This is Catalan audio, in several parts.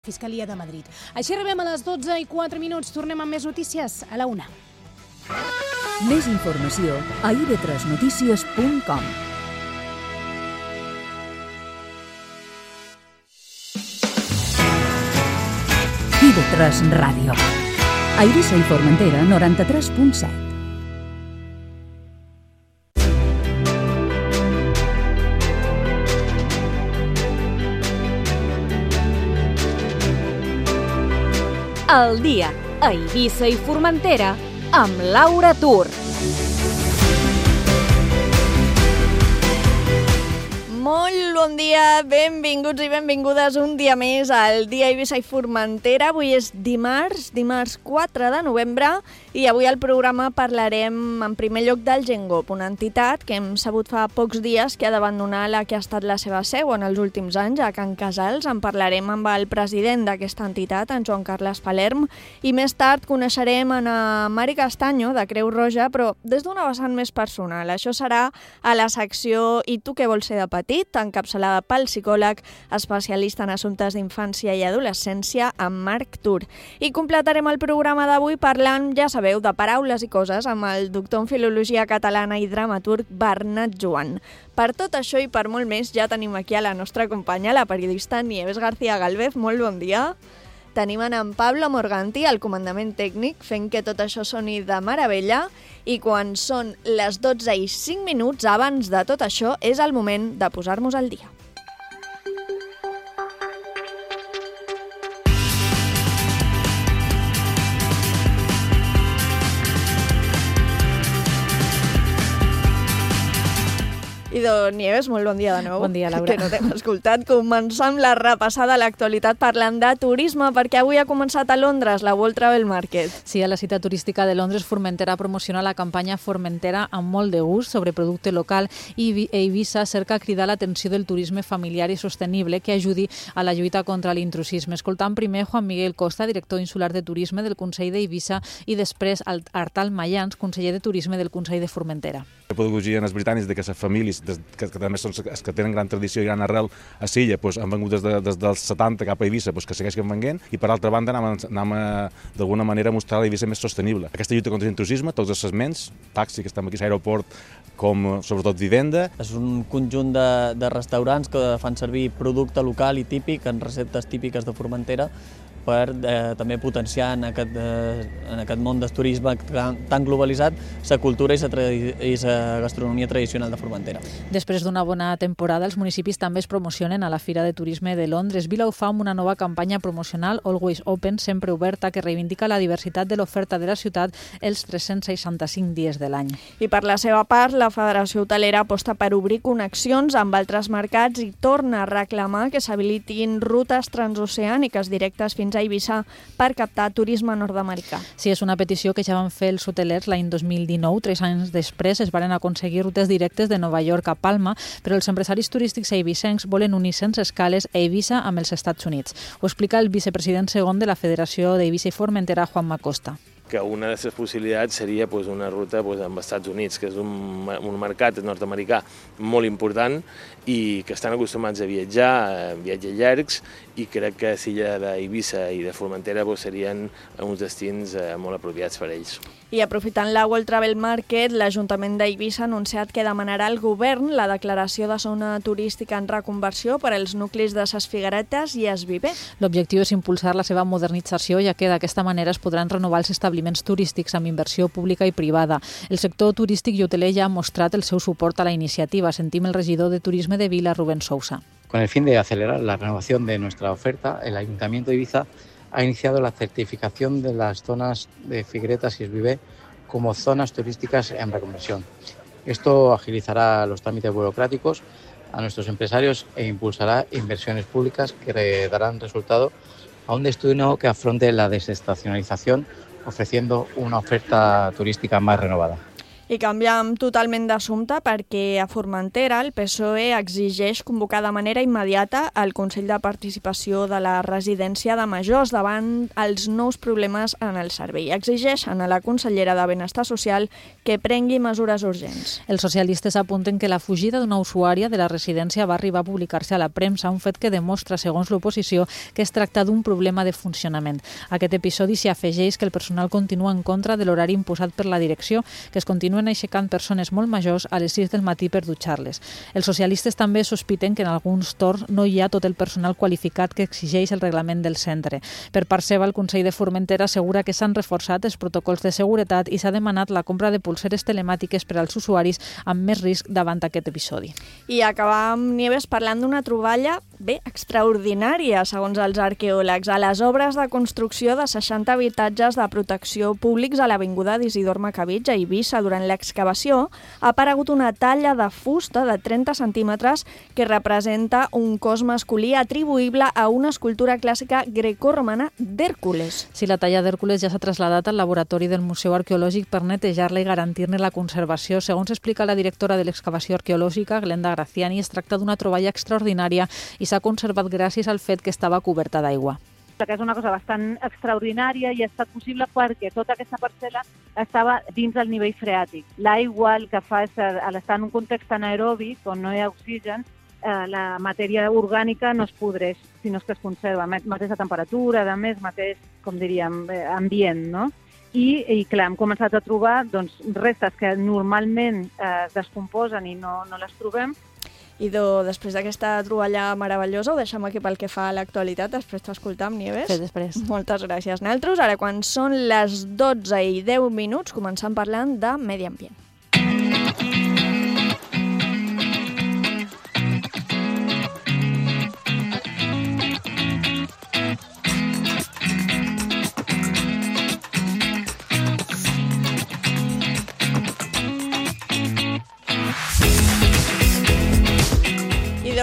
Fiscalia de Madrid. Així arribem a les 12:04. Tornem amb més notícies a la 1. Més informació a ib3notícies.com. IB3 Ràdio. A Eivissa i Formentera, 93.7. El dia a Eivissa i Formentera amb Laura Tur. Molt bon dia, benvinguts i benvingudes un dia més al dia a Eivissa i Formentera. Avui és dimarts 4 de novembre, i avui al programa parlarem en primer lloc del Gengop, una entitat que hem sabut fa pocs dies que ha d'abandonar la que ha estat la seva seu en els últims anys, a Can Casals. En parlarem amb el president d'aquesta entitat, en Joan Carles Palerm, i més tard coneixerem en Mari Castanyo, de Creu Roja, però des d'una vessant més personal. Això serà a la secció I tu què vols ser de petit?, encapçalada pel psicòleg especialista en assumptes d'infància i adolescència, en Marc Tur. I completarem el programa d'avui parlant, ja sabeu, de paraules i coses amb el doctor en Filologia Catalana i dramaturg Bernat Joan. Per tot això i per molt més ja tenim aquí a la nostra companya, la periodista Nieves García Galvez. Molt bon dia. Tenim en Pablo Morganti, al comandament tècnic, fent que tot això soni de meravella, i quan són les 12:05, abans de tot això, és el moment de posar-nos al dia. Idò Nieves, molt bon dia de nou. Bon dia, Laura. Que no t'hem escoltat. Començar amb la repassada a l'actualitat parlant de turisme, perquè avui ha començat a Londres la World Travel Market. Sí, a la cita turística de Londres, Formentera promociona la campanya Formentera amb molt de gust sobre producte local, i Eivissa cerca cridar l'atenció del turisme familiar i sostenible que ajudi a la lluita contra l'intrusisme. Escoltant primer Juan Miguel Costa, director insular de turisme del Consell d'Eivissa, i després Artal Mayans, conseller de turisme del Consell de Formentera. La pedagogia en els britànics de que les famílies, que també són els que tenen gran tradició i gran arrel a Silla, han vengut des dels 70 cap a Eivissa, que segueixen venint, i per altra banda anem d'alguna manera a mostrar l'Eivissa més sostenible. Aquesta lluita contra l'intrusisme, tots els segments, taxi, que estem aquí a l'aeroport, com sobretot vivenda. És un conjunt de restaurants que fan servir producte local i típic en receptes típiques de Formentera, per també potenciar en aquest món del turisme tan globalitzat la cultura i la gastronomia tradicional de Formentera. Després d'una bona temporada, els municipis també es promocionen a la Fira de Turisme de Londres. Vila ho fa amb una nova campanya promocional, Always Open, sempre oberta, que reivindica la diversitat de l'oferta de la ciutat els 365 dies de l'any. I per la seva part, la Federació Hotelera aposta per obrir connexions amb altres mercats i torna a reclamar que s'habilitin rutes transoceàniques directes fins a Eivissa per captar turisme nord-americà. Sí, és una petició que ja van fer els hotelers l'any 2019. 3 anys després es van aconseguir rutes directes de Nova York a Palma, però els empresaris turístics eivissencs volen unir sense escales a Eivissa amb els Estats Units. Ho explica el vicepresident segon de la Federació d'Eivissa i Formentera, Juanma Costa. Que una de les possibilitats seria una ruta amb els Estats Units, que és un mercat nord-americà molt important i que estan acostumats a viatjar, viatges llargs, i crec que Silla d'Eivissa i de Formentera serien uns destins molt apropiats per a ells. I aprofitant la World Travel Market, l'Ajuntament d'Eivissa ha anunciat que demanarà al govern la declaració de zona turística en reconversió per als nuclis de Ses Figueretes i Es Viver. L'objectiu és impulsar la seva modernització, ja que d'aquesta manera es podran renovar els establiments turístics amb inversió pública i privada. El sector turístic i hoteler ja ha mostrat el seu suport a la iniciativa. Sentim el regidor de Turisme de Vila, Rubén Sousa. Con el fin de acelerar la renovación de nuestra oferta, el Ayuntamiento de Eivissa ha iniciado la certificación de las zonas de Figueretas y Es Viver como zonas turísticas en reconversión. Esto agilizará los trámites burocráticos a nuestros empresarios e impulsará inversiones públicas que darán resultado a un destino que afronte la desestacionalización, ofreciendo una oferta turística más renovada. I canviem totalment d'assumpte perquè a Formentera el PSOE exigeix convocar de manera immediata el Consell de Participació de la Residència de Majors davant els nous problemes en el servei. Exigeixen a la consellera de Benestar Social que prengui mesures urgents. Els socialistes apunten que la fugida d'una usuària de la residència va arribar a publicar-se a la premsa, un fet que demostra, segons l'oposició, que es tracta d'un problema de funcionament. A aquest episodi s'hi afegeix que el personal continua en contra de l'horari imposat per la direcció, que es continuen aixecant persones molt majors a les 6 del matí per dutxar-les. Els socialistes també sospiten que en alguns torns no hi ha tot el personal qualificat que exigeix el reglament del centre. Per part seva, el Consell de Formentera assegura que s'han reforçat els protocols de seguretat i s'ha demanat la compra de pulseres telemàtiques per als usuaris amb més risc davant aquest episodi. I acabam, Nieves, parlant d'una troballa extraordinària, segons els arqueòlegs. A les obres de construcció de 60 habitatges de protecció públics a l'avinguda d'Isidor Macabitx a Eivissa, durant l'excavació, ha aparegut una talla de fusta de 30 centímetres que representa un cos masculí atribuïble a una escultura clàssica grecorromana d'Hèrcules. Sí, la talla d'Hèrcules ja s'ha traslladat al laboratori del Museu Arqueològic per netejar-la i garantir-ne la conservació. Segons explica la directora de l'excavació arqueològica, Glenda Graziani, es tracta d'una troballa extraordinària i s'ha conservat gràcies al fet que estava coberta d'aigua. Que és una cosa bastant extraordinària i ha estat possible perquè tota aquesta parcel·la estava dins del nivell freàtic. L'aigua el que fa és, al estar en un context anaeròbic on no hi ha oxigen, la matèria orgànica no es podreix, sinó que es conserva. Mateixa temperatura, a més, mateix, com diríem, ambient, no? I clar, hem començat a trobar restes que normalment es descomposen i no les trobem. I després d'aquesta troballa meravellosa ho deixem aquí pel que fa a l'actualitat, després t'escoltam, Nieves. Sí, després. Moltes gràcies, Naltros. Ara, quan són les 12:10, començam parlant de medi ambient.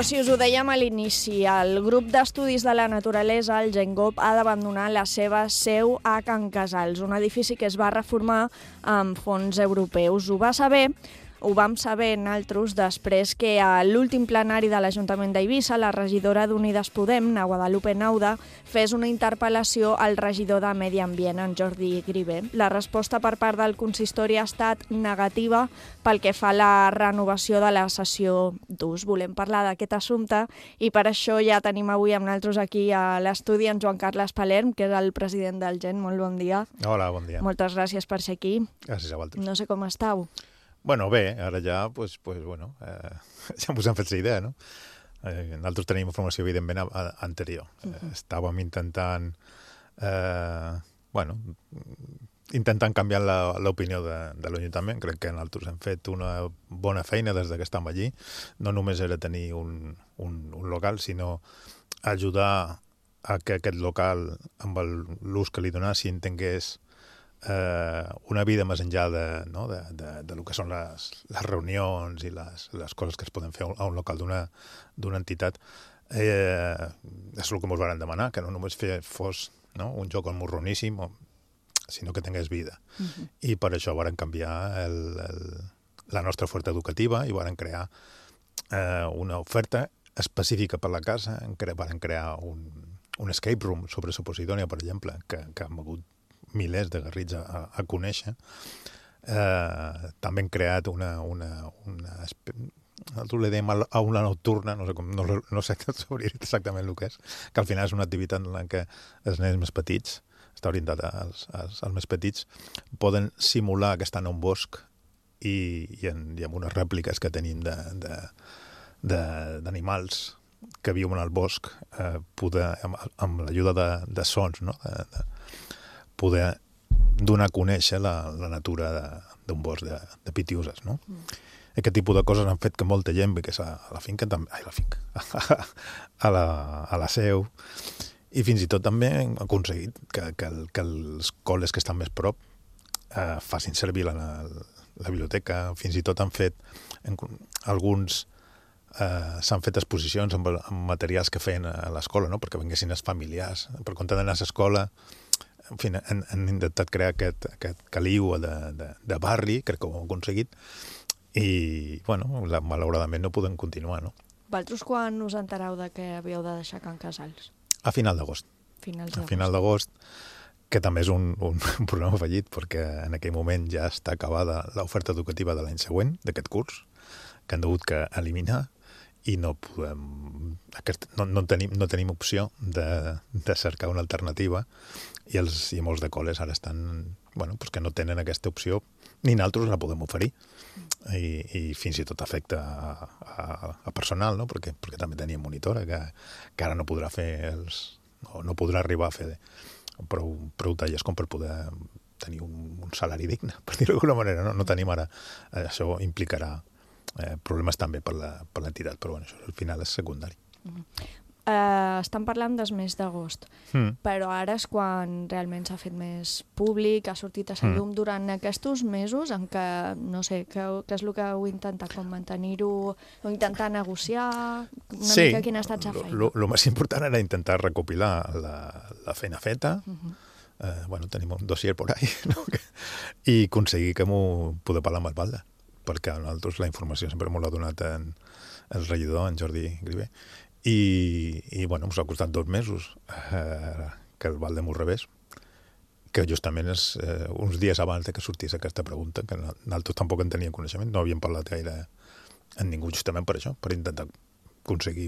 Si us ho dèiem a l'inici, el grup d'estudis de la naturalesa, el GenGOP, ha d'abandonar la seva seu a Can Casals, un edifici que es va reformar amb fons europeus. Ho vam saber nosaltres després que a l'últim plenari de l'Ajuntament d'Eivissa, la regidora d'Unides Podem, na Guadalupe Nauda, fes una interpel·lació al regidor de Medi Ambient, en Jordi Grivé. La resposta per part del consistori ha estat negativa pel que fa a la renovació de la sessió d'ús. Volem parlar d'aquest assumpte i per això ja tenim avui amb nosaltres aquí a l'estudi en Joan Carles Palerm, que és el president del GEN. Molt bon dia. Hola, bon dia. Moltes gràcies per ser aquí. Gràcies a vosaltres. No sé com estàu. Bueno, bé, ara ja, ja ens hem fet la idea, no? Nosaltres tenim informació, evidentment, anterior. Estàvem intentant canviar l'opinió de l'Ajuntament. Crec que nosaltres hem fet una bona feina des que estem allí. No només era tenir un local, sinó ajudar a que aquest local, amb l'ús que li donassin, tingués una vida més enllà de lo que són les reunions i les coses que es poden fer a un local d'una entitat. És el que ens van demanar, que no només fos un joc morroníssim, sinó que tingués vida. I per això van canviar la nostra oferta educativa i van crear una oferta específica per la casa. Van crear un escape room sobre Suposidònia, per exemple, que hem hagut milers de garrits a conèixer. També hem creat nosaltres li dèiem a una nocturna, no sé exactament el que és, que al final és una activitat en la què els nens més petits, està orientat als més petits, poden simular que estan a un bosc i amb unes rèpliques que tenim d'animals que viuen al bosc, amb l'ajuda de sons, poder donar a conèixer la natura d'un bosc de pitiuses, no? Aquest tipus de coses han fet que molta gent vingués a la finca, a la seu, i fins i tot també hem aconseguit que els col·les que estan més prop facin servir la biblioteca. Fins i tot han fet alguns s'han fet exposicions amb materials que feien a l'escola, perquè vinguessin els familiars. Per compte d'anar a l'escola en fi, han intentat crear aquest caliu de barri, crec que ho han aconseguit, i, bueno, malauradament no podem continuar, no? Vosaltres quan us entereu de que havíeu de deixar Can Casals? A final d'agost. A final d'agost, que també és un programa fallit, perquè en aquell moment ja està acabada l'oferta educativa de l'any següent, d'aquest curs, que han hagut que eliminar, i no podem... No tenim opció de cercar una alternativa, i molts de col·les ara estan... Bueno, doncs que no tenen aquesta opció, ni nosaltres la podem oferir. I fins i tot afecta a personal, no? Perquè també teníem monitora, que ara no podrà fer no podrà arribar a fer prou tallers com per poder tenir un salari digne, per dir-ho d'alguna manera. No tenim ara... Això implicarà problemes també per l'entitat, però bueno, això al final és secundari. Estan parlant del mes d'agost, però ara és quan realment s'ha fet més públic, ha sortit a la llum durant aquests mesos en què, no sé, què és el que heu intentat, com mantenir-ho, o intentar negociar, una mica quina ha estat la feina? El més important era intentar recopilar la feina feta, bueno, tenim un dossier por ahí, no? I aconseguir que m'ho poder parlar amb Albalda, perquè a nosaltres la informació sempre m'ho l'ha donat el regidor, en Jordi Grivé, i bueno, ens ha costat 2 mesos que el Valde m'ho rebés, que justament és uns dies abans que sortís aquesta pregunta, que nosaltres tampoc en teníem coneixement, no havíem parlat gaire amb ningú justament per això, per intentar aconseguir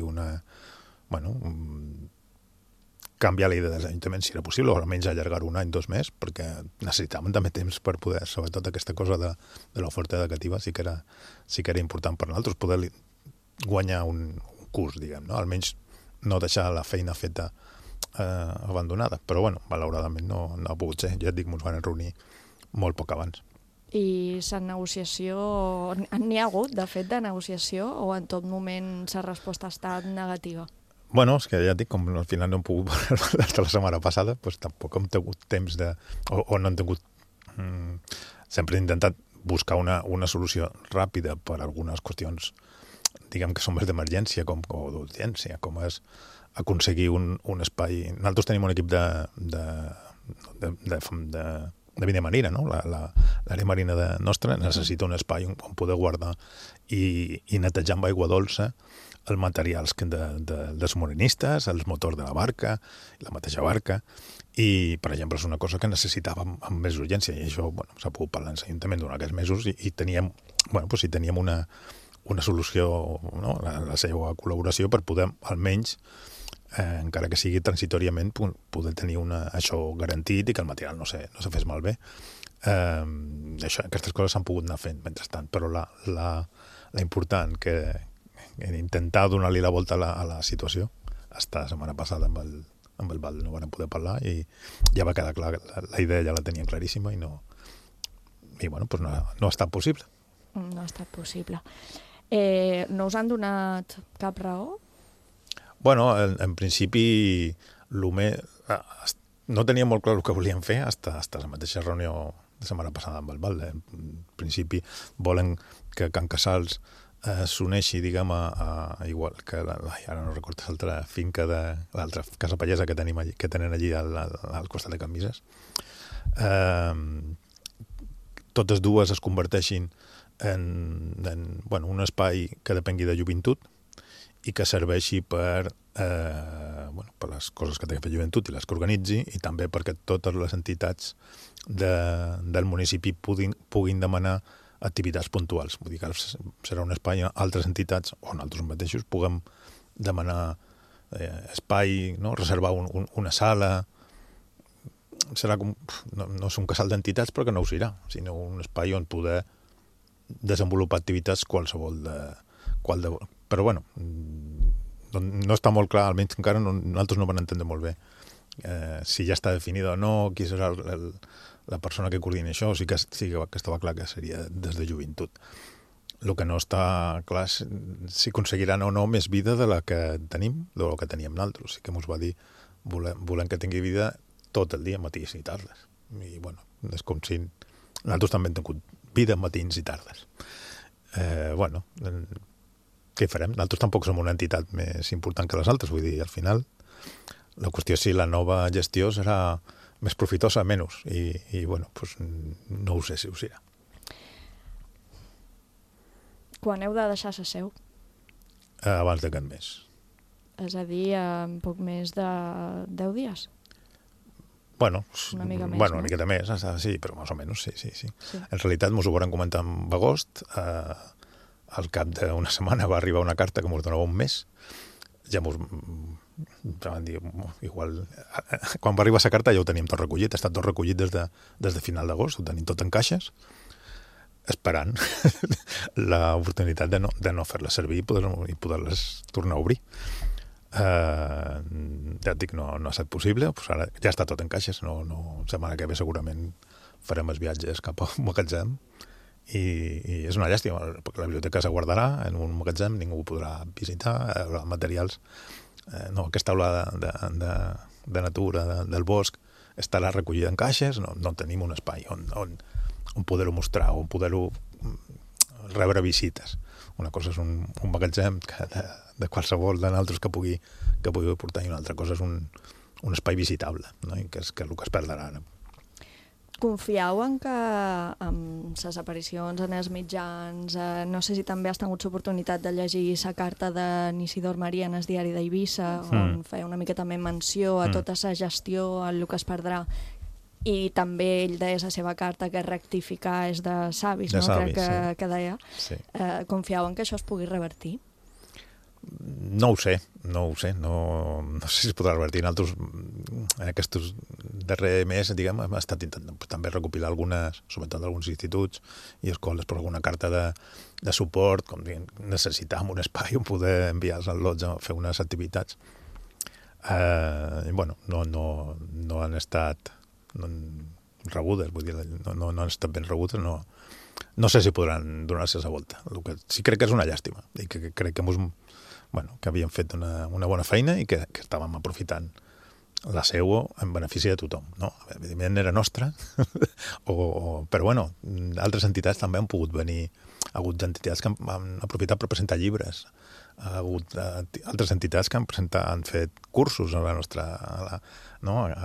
canviar la idea dels ajuntaments si era possible, o almenys allargar 1 any, 2 mesos, perquè necessitàvem també temps per poder, sobretot aquesta cosa de l'oferta educativa, sí que era important per nosaltres poder guanyar un curs, diguem, no? Almenys no deixar la feina feta abandonada, però bueno, malauradament no ha pogut ser. Ja et dic, ens van reunir molt poc abans. I la negociació, n'hi ha hagut, de fet, de negociació, o en tot moment la resposta ha estat negativa? Bueno, és que ja et dic, com al final no hem pogut parlar de la setmana passada, doncs tampoc hem tingut temps o no hem tingut... Sempre he intentat buscar una solució ràpida per algunes qüestions, diguem que són més d'emergència o d'urgència, com és aconseguir un espai... Nosaltres tenim un equip de vida marina, no? L'àrea marina nostra necessita un espai on poder guardar i netejar amb aigua dolça els materials dels marinistes, els motors de la barca, la mateixa barca, i, per exemple, és una cosa que necessitàvem amb més urgència, i això s'ha pogut parlar en l'Ajuntament durant aquests mesos, i teníem una solució, no? La seva col·laboració per poder, almenys, encara que sigui transitoriament, poder tenir això garantit i que el material no se fes malbé. Aquestes coses s'han pogut anar fent mentrestant, però la important que intentar donar-li la volta a la situació, hasta la setmana passada amb el Val no vam poder parlar i ja va quedar clar, la idea ja la teníem claríssima i bueno, pues no ha estat possible. No ha estat possible. No us han donat cap raó? Bueno, en principi no tenia molt clar el que volien fer fins la mateixa reunió de setmana passada amb el Valde. En principi volen que Can Casals s'uneixi, diguem, igual que ara no recordo l'altra finca de l'altra casa pallesa que tenen allí al costat de Can Vises. Totes dues es converteixin en un espai que depengui de joventut i que serveixi per les coses que té que fer joventut i les que organitzi, i també perquè totes les entitats del municipi puguin demanar activitats puntuals. Vull dir que serà un espai on altres entitats o nosaltres mateixos puguem demanar espai, no? Reservar una sala. Serà com, no és un casal d'entitats, però que no ho serà, sinó un espai on poder desenvolupar activitats qualsevol però bueno, no està molt clar, almenys encara nosaltres no vam entendre molt bé si ja està definida o no, qui serà la persona que coordina això, sí que estava clar que seria des de joventut. El que no està clar és si aconseguiran o no més vida de la que tenim, de la que teníem nosaltres. Sí que ens va dir, volem que tingui vida tot el dia, matins i tardes. I bueno, és com si nosaltres també hem tingut vida matins i tardes. Bueno, què farem? Nosaltres tampoc som una entitat més important que les altres, vull dir, al final la qüestió és si la nova gestió serà més profitosa, menys. I bueno, pues, no ho sé si ho serà. Quan heu de deixar la seu? Abans d'aquest mes. És a dir, en poc més de 10 dies? Bueno, una mica més, una no? miqueta més, sí, però més o menys, sí. En realitat, ens ho vam comentar en agost. Al cap d'una setmana va arribar una carta que ens donava un mes. Ja van dir, igual... Quan va arribar la carta ja ho teníem tot recollit. Ha estat tot recollit des de final d'agost. Ho tenim tot en caixes, esperant l'oportunitat de no fer-les servir i poder-les tornar a obrir. Ja et dic, no ha estat possible, pues ara ja està tot en caixes, no, setmana que ve segurament farem els viatges cap a un magatzem i és una llàstima, perquè la biblioteca se guardarà en un magatzem, ningú ho podrà visitar, els materials, aquesta aula de natura, del bosc, estarà recollida en caixes, no tenim un espai on poder-ho mostrar, on poder-ho rebre visites. Una cosa és un magatzem de qualsevol de nosaltres que pugui portar, i una altra cosa és un espai visitable, no? I que és el que es perdrà ara. Confieu en que amb les aparicions en els mitjans, no sé si també has tingut l'oportunitat de llegir la carta de Isidor Maria en el diari d'Eivissa, on feia una mica també menció a tota la gestió, el que es perdrà, i també ell deia la seva carta que rectificar és de savis, no? Crec que deia. Sí. Confieu en que això es pugui revertir? No ho sé, no sé si es podrà revertir. Nosaltres, en aquests darrers mesos, diguem, hem estat intentant també recopilar algunes, sobretot alguns instituts i escoles, per alguna carta de suport, com diguem, necessitàvem un espai on poder enviar els al·lots a fer unes activitats. Bueno, no han estat rebudes, vull dir, no han estat ben rebudes, no sé si podran donar-se la volta. El que sí crec que és una llàstima, i que crec que havíem fet una bona feina i que estàvem aprofitant la seua en benefici de tothom, no? Evidentment era nostra, però bueno, altres entitats també han pogut venir, ha hagut entitats que han aprofitat per presentar llibres, ha hagut altres entitats que han fet cursos a la nostra, a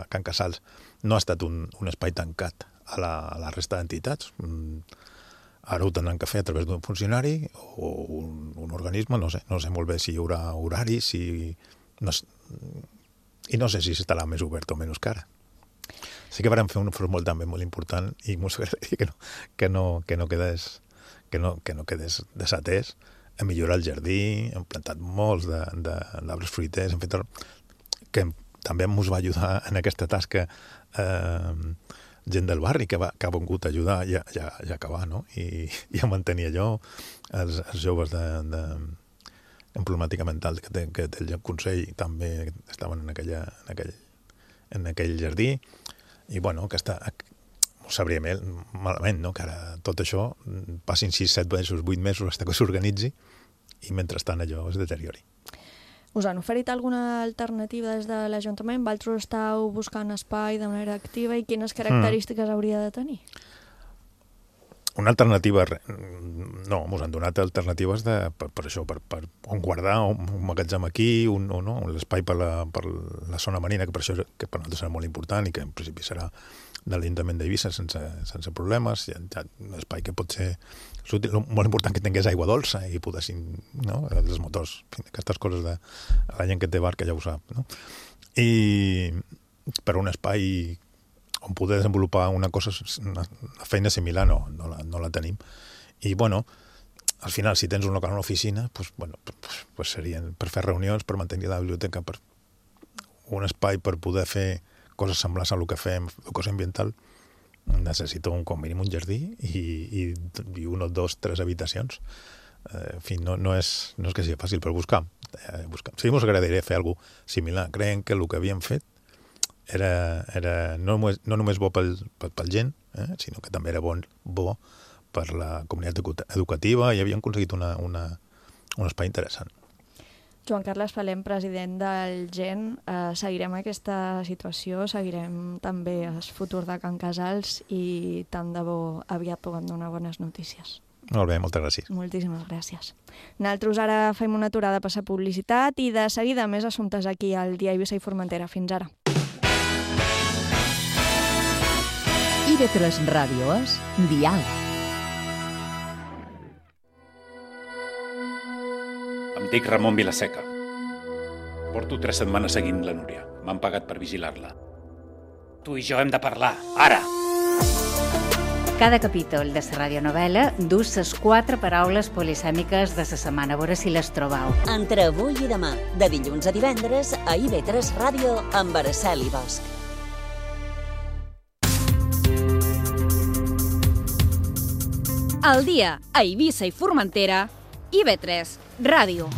Can Casals. No ha estat un espai tancat a la resta d'entitats. Ara ho tenen que fer a través d'un funcionari o un organisme, no sé molt bé si hi haurà horaris, i no sé si estarà més obert o menys que ara. Sí que vam fer un formol també molt important i m'ho agradaria que no quedés desatès, hem millorat el jardí, hem plantat molts d'arbres fruiters, hem fet que també ens va ajudar en aquesta tasca gent del barri que ha vingut a ajudar i a acabar, no? I a mantenir allò, els joves d'emblemàtica mental que té el Consell també estaven en aquell jardí, i bueno, que ho sabria malament, no? Que ara tot això passin 6, 7 mesos, 8 mesos fins que s'organitzi i mentrestant allò es deteriori. Us han oferit alguna alternativa des de l'Ajuntament? Vosaltres estàu buscant espai de manera activa i quines característiques hauria de tenir? Una alternativa... No, ens han donat alternatives per això, per on guardar, un magatzem aquí, l'espai per la zona marina, que per això que per nosaltres serà molt important i que en principi serà de l'Ajuntament d'Eivissa sense problemes, un espai que pot ser útil, molt important que tingués aigua dolça i poguessin, els motors, aquestes coses de la gent que té barca ja ho sap, no? I per un espai on poder desenvolupar una feina similar no la tenim. I bueno, al final, si tens un local a una oficina, pues serien per fer reunions, per mantenir la biblioteca, per un espai per poder fer coses semblants a el que fem, educació ambiental, necessito com mínim un jardí i 1, 2, 3 habitacions. En fi, no és que sigui fàcil per buscar. Sí, ens agradaria fer alguna cosa similar. Creiem que el que havíem fet era no només bo pel gent, sinó que també era bo per la comunitat educativa, i havíem aconseguit un espai interessant. Joan Carles Palem, president del GEN, seguirem aquesta situació, seguirem també el futur de Can Casals i tant de bo aviat puguem donar bones notícies. Molt bé, moltes gràcies. Moltíssimes gràcies. Nosaltres ara fem una aturada per la publicitat i de seguida més assumptes aquí al Dia Eivissa i Formentera. Fins ara. IB3 Ràdio és diàleg. Em dic Ramon Vilaseca. Porto 3 setmanes seguint la Núria. M'han pagat per vigilar-la. Tu i jo hem de parlar, ara! Cada capítol de la radionovel·la dus les 4 paraules polisèmiques de la setmana. A veure si les trobau. Entre avui i demà, de dilluns a divendres, a IB3 Ràdio amb Araceli Bosch. Al dia a Eivissa i Formentera, IB3 Ràdio.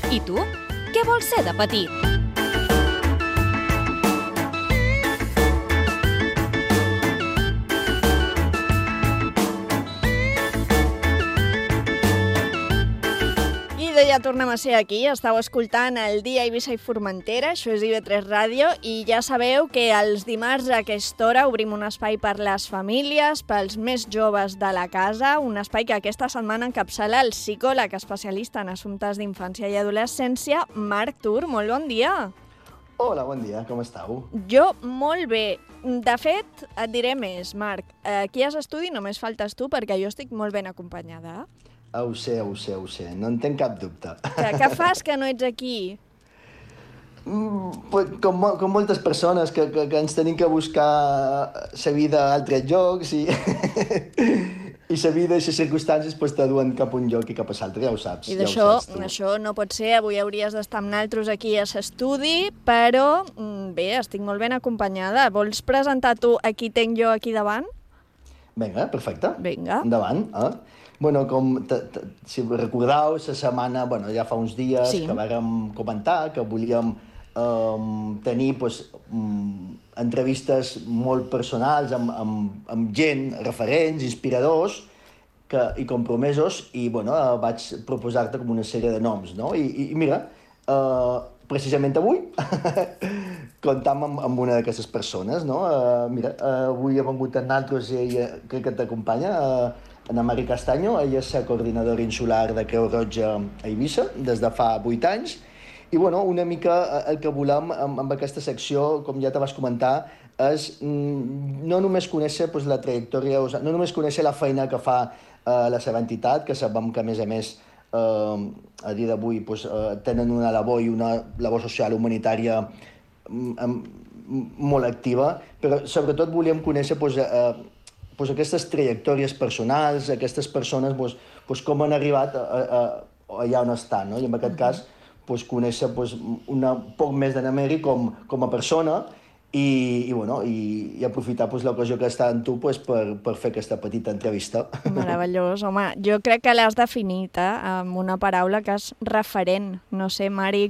I tu? Què vols ser de petit? Ja tornem a ser aquí, estàu escoltant el dia Eivissa i Formentera, això és IB3 Ràdio, i ja sabeu que els dimarts a aquesta hora obrim un espai per les famílies, pels més joves de la casa, un espai que aquesta setmana encapçala el psicòleg especialista en assumptes d'infància i adolescència, Marc Tur. Molt bon dia! Hola, bon dia, com estàu? Jo molt bé. De fet, et diré més, Marc. Aquí a l'estudi només faltes tu perquè jo estic molt ben acompanyada. Ho sé, no en tenc cap dubte. Què fas que no ets aquí? Com moltes persones que ens tenim que buscar la vida a altres llocs i la vida i les circumstàncies t'aduen cap a un lloc i cap a l'altre, ja ho saps. I d'això no pot ser, avui hauries d'estar amb nosaltres aquí a l'estudi, però bé, estic molt ben acompanyada. Vols presentar tu a qui tinc jo aquí davant? Vinga, perfecte. Vinga. Endavant. Bueno, si recordeu, la setmana, ja fa uns dies que vàrem comentar que volíem tenir entrevistes molt personals amb gent, referents, inspiradors i compromesos, i vaig proposar-te com una sèrie de noms, no? I mira, precisament avui comptam amb una d'aquestes persones, no? Mira, avui ha vengut amb nosaltres i ella crec que t'acompanya, Ana Mari Castaño. Ella és la coordinadora insular de Creu Roja a Eivissa des de fa 8 anys. I una mica el que volem amb aquesta secció, com ja te vas comentar, és no només conèixer la trajectòria, no només conèixer la feina que fa la seva entitat, que sabem que, a més, a dia d'avui tenen una labor i una labor social humanitària molt activa, però sobretot volíem conèixer aquestes trajectòries personals, aquestes persones, com han arribat allà on estan, no? I en aquest cas, conèixer un poc més d'Ana Mari com a persona i aprofitar l'ocasió que està en tu per fer aquesta petita entrevista. Meravellós, home. Jo crec que l'has definit amb una paraula que és referent. No sé, Mari,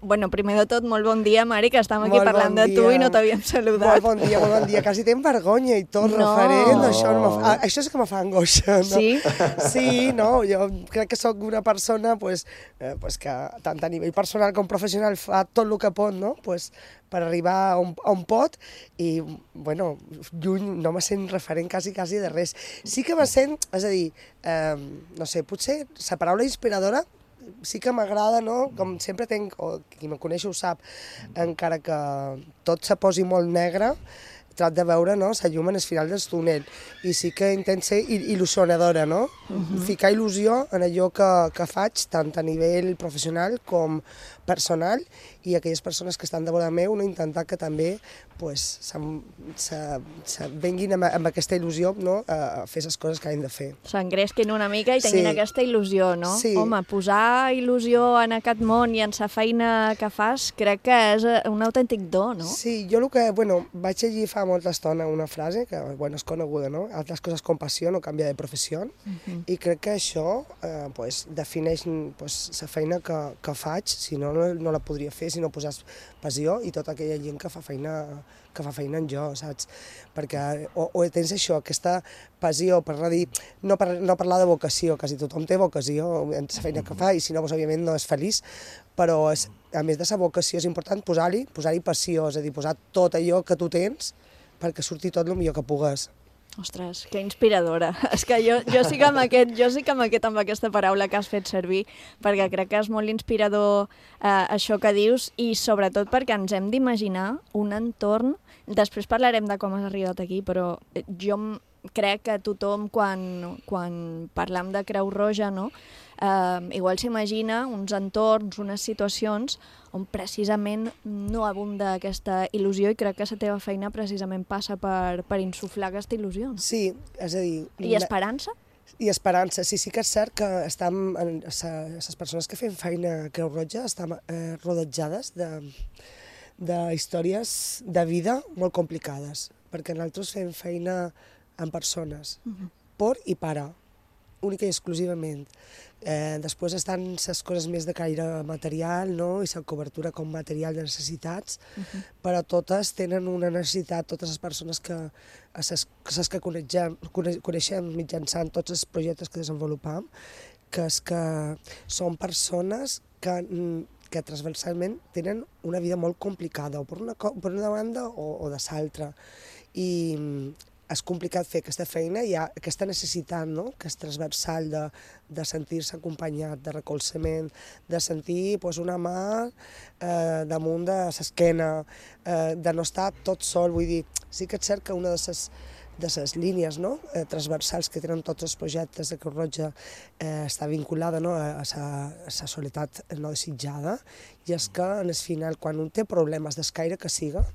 Bueno, primer de tot, molt bon dia, Mari, que estem aquí parlant de tu i no t'havíem saludat. Molt bon dia. Quasi tenc vergonya i tot, referent. Això és que me fa angoixa, no? Sí? Sí, no, jo crec que sóc una persona que tant a nivell personal com professional fa tot el que pot, no? Per arribar a un pot i, lluny no me sent referent quasi de res. Sí que me sent, és a dir, no sé, potser la paraula inspiradora sí que m'agrada, no? Com sempre tenc, o qui me coneix ho sap, encara que tot se posi molt negre, trat de veure la llum en el final del túnel. I sí que intento ser il·lusionadora, no? Ficar il·lusió en allò que faig, tant a nivell professional com personal, i aquelles persones que estan de vora meu, intentar que també venguin amb aquesta il·lusió a fer les coses que han de fer. S'engresquin una mica i tinguin aquesta il·lusió, no? Sí. Home, posar il·lusió en aquest món i en la feina que fas crec que és un autèntic do, no? Sí, jo vaig llegir fa molta estona una frase que és coneguda, no? Altres coses com passió no canvia de professió, i crec que això defineix la feina que faig, si no la podria fer si no posés passió, i tota aquella gent que fa feina en jo, saps? Perquè o tens això, aquesta passió, per dir, no parlar de vocació, quasi tothom té vocació en la feina que fa, i si no, òbviament no és feliç, però a més de la vocació és important posar-hi passió, és a dir, posar tot allò que tu tens perquè surti tot el millor que pugues. Ostres, que inspiradora. És que jo sí que amb aquesta paraula que has fet servir, perquè crec que és molt inspirador això que dius, i sobretot perquè ens hem d'imaginar un entorn. Després parlarem de com has arribat aquí, però jo crec que tothom, quan parlam de Creu Roja, no? Igual s'imagina uns entorns, unes situacions on precisament no abunda aquesta il·lusió, i crec que la teva feina precisament passa per insuflar aquesta il·lusió. Sí, és a dir... I esperança? I esperança, sí que és cert que les persones que fem feina a Creu Roja estan rodejades de històries de vida molt complicades, perquè nosaltres fem feina amb persones, per i para, única i exclusivament. Després estan les coses més de caire material, no? I la cobertura com material de necessitats, però totes tenen una necessitat, totes les persones que coneixem mitjançant tots els projectes que desenvolupam, que és que són persones que transversalment tenen una vida molt complicada, o per una banda o de l'altra. I és complicat fer aquesta feina, hi ha aquesta necessitat, no?, que és transversal de sentir-se acompanyat, de recolzament, de sentir una mà damunt de l'esquena, de no estar tot sol. Vull dir, sí que és cert que una de les línies, no?, transversals que tenen tots els projectes de Creu Roja està vinculada, no?, a la soledat no desitjada, i és que, en el final, quan un té problemes d'escaire que siga,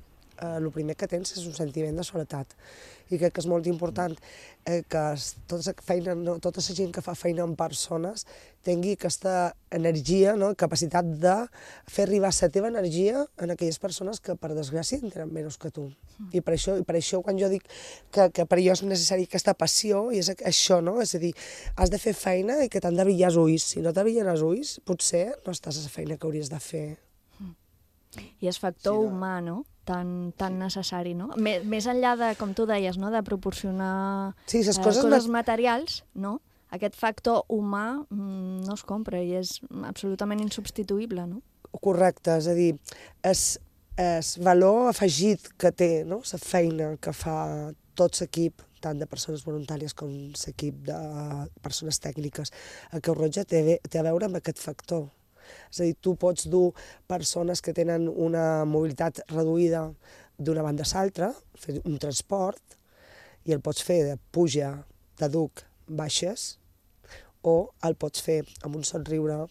el primer que tens és un sentiment de soledat. I crec que és molt important que tota la gent que fa feina amb persones tingui aquesta energia, capacitat de fer arribar la teva energia a aquelles persones que, per desgràcia, en tenen menys que tu. I per això quan jo dic que per jo és necessari aquesta passió, i és això, no? És a dir, has de fer feina i que t'han de brillar els ulls. Si no te brillen els ulls, potser no estàs a la feina que hauries de fer. I és factor humà, no?, tan necessari, no? Més enllà de, com tu deies, no?, de proporcionar coses materials, no? Aquest factor humà no es compra i és absolutament insubstituïble, no? Correcte, és a dir, el valor afegit que té, no?, la feina que fa tot l'equip, tant de persones voluntàries com l'equip de persones tècniques a Creu Roja, té a veure amb aquest factor. És a dir, tu pots dur persones que tenen una mobilitat reduïda d'una banda a l'altra, fer un transport, i el pots fer de puja, de duc, baixes, o el pots fer amb un somriure,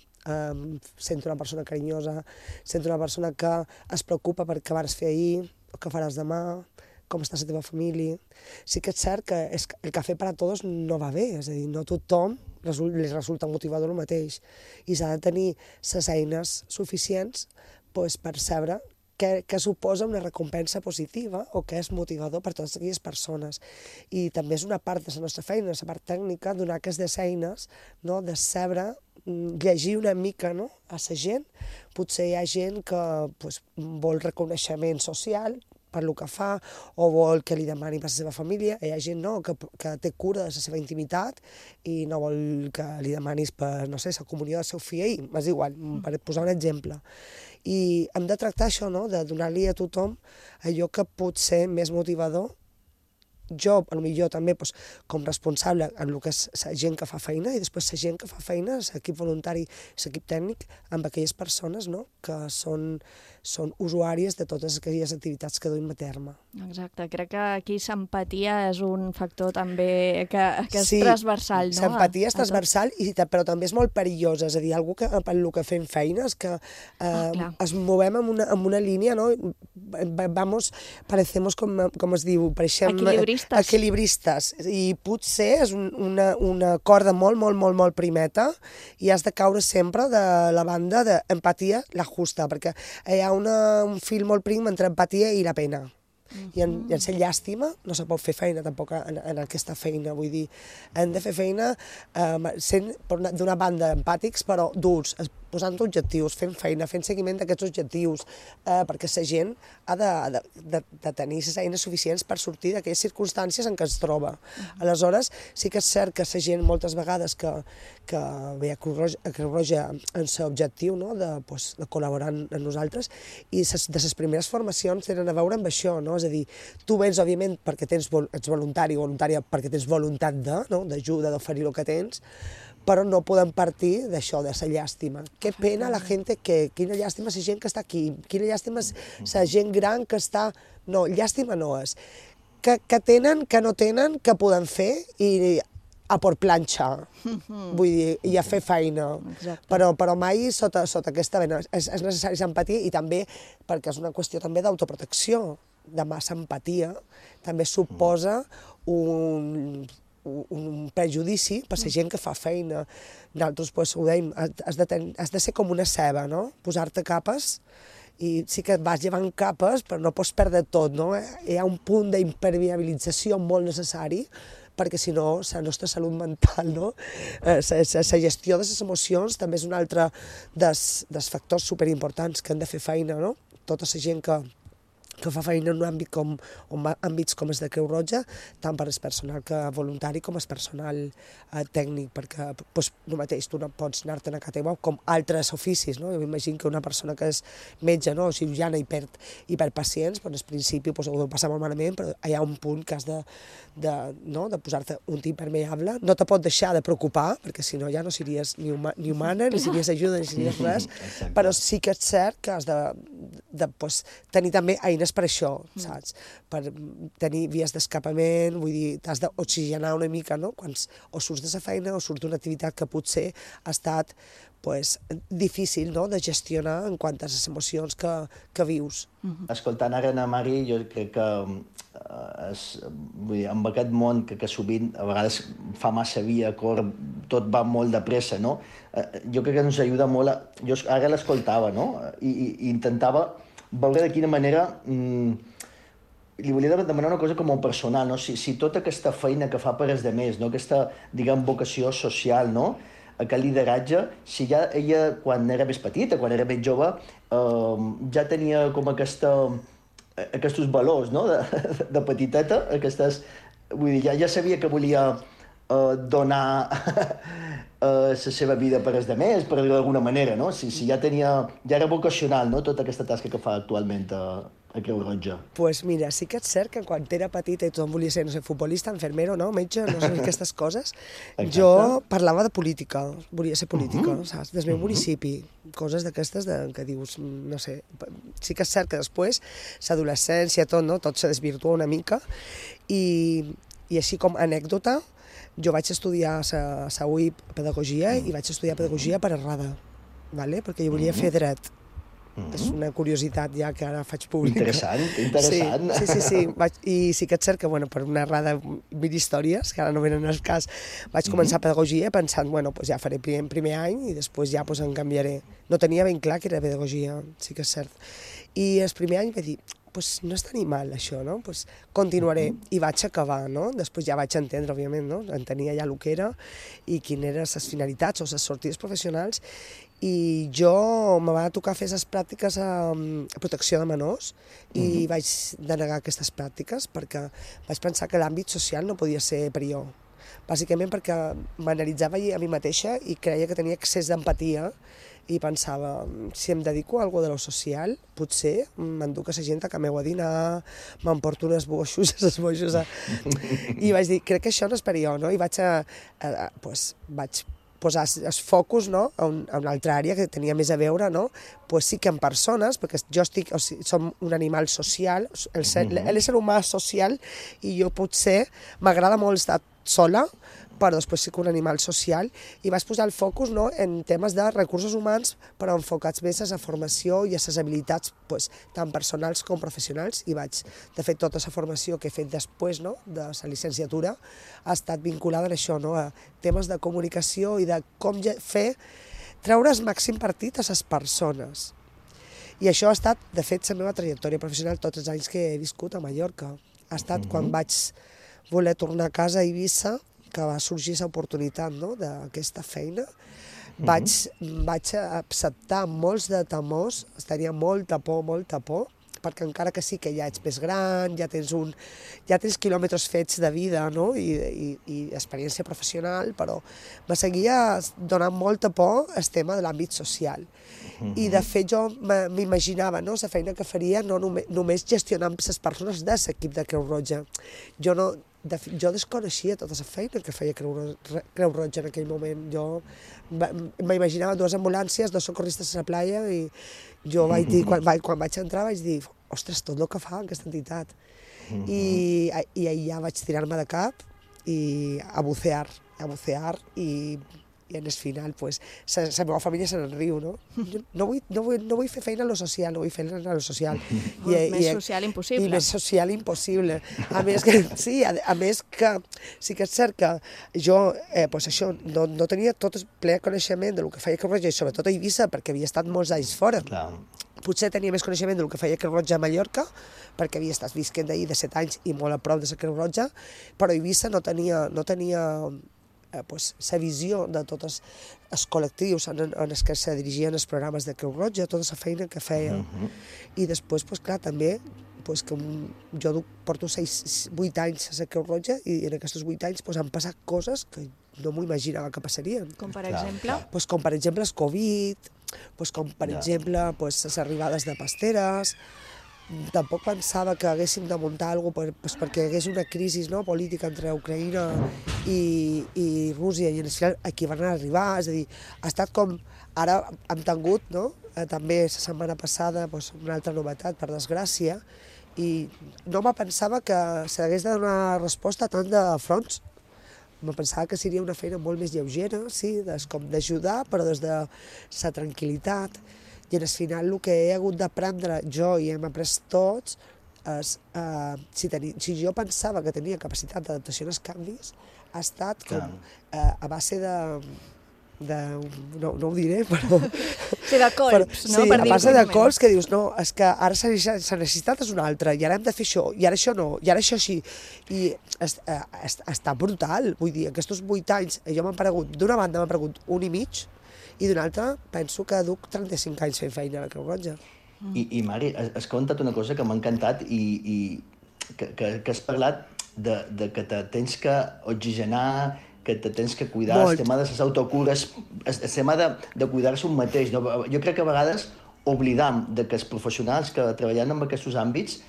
sent una persona carinyosa, sent una persona que es preocupa per què vas fer ahir, o què faràs demà, com està la teva família. Sí que és cert que el cafè per a tots no va bé, és a dir, no tothom li resulta motivador el mateix, i s'ha de tenir les eines suficients per saber què suposa una recompensa positiva o què és motivador per a totes aquelles persones. I també és una part de la nostra feina, la part tècnica, donar aquestes eines, de saber llegir una mica a la gent. Potser hi ha gent que vol reconeixement social per el que fa, o vol que li demani per la seva família. Hi ha gent que té cura de la seva intimitat i no vol que li demanis per, no sé, la comunió del seu fill, és igual, per posar un exemple. I hem de tractar això, de donar-li a tothom allò que pot ser més motivador. Jo, potser també, com responsable en el que és la gent que fa feina, i després la gent que fa feina, l'equip voluntari, l'equip tècnic, amb aquelles persones que són usuàries de totes aquelles activitats que duim a terme. Exacte, crec que aquí l'empatia és un factor també que és transversal, no? Sí, l'empatia és transversal, però també és molt perillosa, és a dir, algú que per el que fem feina és que es movem amb una línia, no? Parecemos, com es diu, pareixem equilibristes, i potser és una corda molt, molt, molt, molt primeta, i has de caure sempre de la banda d'empatia, la justa, perquè hi ha un fil molt prim entre empatia i la pena. I en ser llàstima no se pot fer feina tampoc en aquesta feina, vull dir, hem de fer feina sent d'una banda empàtics però durs. posant objectius, fent feina, fent seguiment d'aquests objectius, perquè la gent ha de tenir les eines suficients per sortir d'aquelles circumstàncies en què es troba. Aleshores, sí que és cert que la gent moltes vegades que ve a Creu Roja en l'objectiu de col·laborar amb nosaltres, i de les primeres formacions tenen a veure amb això, és a dir, tu vens, òbviament, perquè ets voluntari o voluntària, perquè tens voluntat d'ajuda, d'oferir el que tens, però no podem partir d'això, de la llàstima. Que pena la gent quina llàstima la gent que està aquí, quina llàstima la gent gran que està... No, llàstima no és. Que tenen, que no tenen, que poden fer i a por planxa, vull dir, i a fer feina. Però mai sota aquesta vena. És necessari l'empatia i també perquè és una qüestió també d'autoprotecció, de massa empatia, també suposa un prejudici per la gent que fa feina. Nosaltres ho dèiem, has de ser com una ceba, posar-te capes, i sí que vas llevant capes, però no pots perdre tot, Hi ha un punt d'impermeabilització molt necessari, perquè si no, la nostra salut mental, la gestió de les emocions també és un altre dels factors superimportants que han de fer feina, tota la gent que fa feina en un àmbit àmbits com els de Creu Roja, tant per el personal voluntari com el personal tècnic, perquè el mateix, tu no pots anar-te'n a casa teva com altres oficis, Jo m'imagino que una persona que és metge o cirurgiana i perd pacients, al principi ho deu passar molt malament, però hi ha un punt que has de posar-te un tip impermeable, no te pot deixar de preocupar, perquè si no ja no series ni humana, ni series ajuda, ni series res, però sí que és cert que has de tenir també eines per això, saps? Per tenir vies d'escapament, vull dir, t'has d'oxigenar una mica, quan o surts de la feina o surts d'una activitat que potser ha estat difícil de gestionar en quant a les emocions que vius. Escoltant ara a Mari, jo crec que amb aquest món que sovint a vegades fa massa via, tot va molt de pressa, jo crec que ens ajuda molt. Jo ara l'escoltava i intentava veure de quina manera li volia demanar una cosa com a personal, si tota aquesta feina que fa per als altres, aquesta, vocació social, aquest lideratge, si ja ella, quan era més petita, quan era més jove, ja tenia com aquests valors de petiteta, vull dir, ja sabia que volia donar la seva vida per als altres, per dir-ho d'alguna manera, si ja era vocacional tota aquesta tasca que fa actualment a Creu Roja. Doncs mira, sí que és cert que quan era petita i tothom volia ser, futbolista, enfermero, metge, aquestes coses, jo parlava de política, volia ser política, saps? Del meu municipi, coses d'aquestes que dius, no sé, sí que és cert que després, l'adolescència, tot se desvirtua una mica, i així com anècdota, jo vaig estudiar a la UIP Pedagogia i vaig estudiar Pedagogia per errada, perquè jo volia fer dret. És una curiositat ja que ara faig pública. Interessant. Sí. I sí que és cert que per una errada mil històries, que ara no venen al cas, vaig començar Pedagogia pensant, ja faré primer any i després ja em canviaré. No tenia ben clar que era Pedagogia, sí que és cert. I el primer any vaig dir, no és tan mal això, continuaré, i vaig acabar, després ja vaig entendre, òbviament, entenia ja el que era i quines eren les finalitats o les sortides professionals, i jo me va tocar fer les pràctiques a protecció de menors i vaig denegar aquestes pràctiques perquè vaig pensar que l'àmbit social no podia ser per jo, bàsicament perquè m'analitzava a mi mateixa i creia que tenia excés d'empatia i pensava, si em dedico a alguna cosa de lo social, potser m'enduc a la gent a casa meu a dinar, m'emporto uns boixos, i vaig dir, crec que això no és per jo, i vaig posar els focus a una altra àrea que tenia més a veure, sí que en persones, perquè som un animal social, l'ésser humà social, i jo potser m'agrada molt estar sola, però després sí que un animal social, i vaig posar el focus en temes de recursos humans, però enfocats més a la formació i a les habilitats tant personals com professionals, i de fet, tota la formació que he fet després de la llicenciatura ha estat vinculada a això, a temes de comunicació i de com treure el màxim partit a les persones. I això ha estat, de fet, la meva trajectòria professional tots els anys que he viscut a Mallorca. Ha estat quan vaig voler tornar a casa a Eivissa, que va sorgir l'oportunitat d'aquesta feina, vaig acceptar molts de temors, tenia molta por, perquè encara que sí que ja ets més gran, ja tens quilòmetres fets de vida, no? I experiència professional, però me seguia donant molta por el tema de l'àmbit social. I de fet jo m'imaginava, no?, la feina que faria no només gestionant les persones de l'equip de Creu Roja. Jo desconeixia tota la feina que feia Creu Roja en aquell moment. Jo m'imaginava 2 ambulàncies, 2 socorristes a la playa, i jo vaig dir, quan vaig entrar vaig dir, ostres, tot el que fa aquesta entitat. I ja vaig tirar-me de cap i a bucear, i en el final, pues, la meva família se n'enriu, no? No vull fer feina a lo social, no vull fer feina a lo social. Més social impossible. I més social impossible. A més que sí que és cert que jo, pues això, no tenia tot el ple coneixement del que feia Creu Roja, i sobretot a Eivissa, perquè havia estat molts anys fora. Potser tenia més coneixement del que feia Creu Roja a Mallorca, perquè havia estat visquent d'ahir de 7 anys i molt a prop de la Creu Roja, però a Eivissa no tenia la visió de tots els col·lectius en els que se dirigien els programes de Creu Roja, tota la feina que feia. I després, clar, també, que jo porto 8 anys a la Creu Roja, i en aquests 8 anys han passat coses que no m'ho imaginava que passarien. Com per exemple? Com per exemple el Covid, com per exemple les arribades de pasteres. Tampoc pensava que haguéssim de muntar alguna cosa perquè hi hagués una crisi política entre Ucraïna i Rússia, i en el final aquí van arribar, és a dir, ha estat com, ara hem tingut, també la setmana passada, una altra novetat, per desgràcia, i no me pensava que s'hagués de donar resposta a tant de fronts. Me pensava que seria una feina molt més lleugera, sí, com d'ajudar, però des de la tranquil·litat. I al final el que he hagut d'aprendre jo i hem après tots és, si jo pensava que tenia capacitat d'adaptació als canvis, ha estat com a base no ho diré, però... Sí, de colps, no? Sí, a base de colps que dius, no, és que ara la necessitat és una altra, i ara hem de fer això, i ara això no, i ara això sí. I està brutal, vull dir, aquests 8 anys, jo m'han paregut, d'una banda m'han paregut 1 i mig, i d'una altra penso que duc 35 anys fent feina a la Creu Roja. I Mari, has contat una cosa que m'ha encantat i que has parlat de que te tens que oxigenar, que te tens que cuidar, el tema de les autocures, el tema de cuidar-se un mateix. Jo crec que a vegades oblidam que els professionals que treballen en aquests àmbits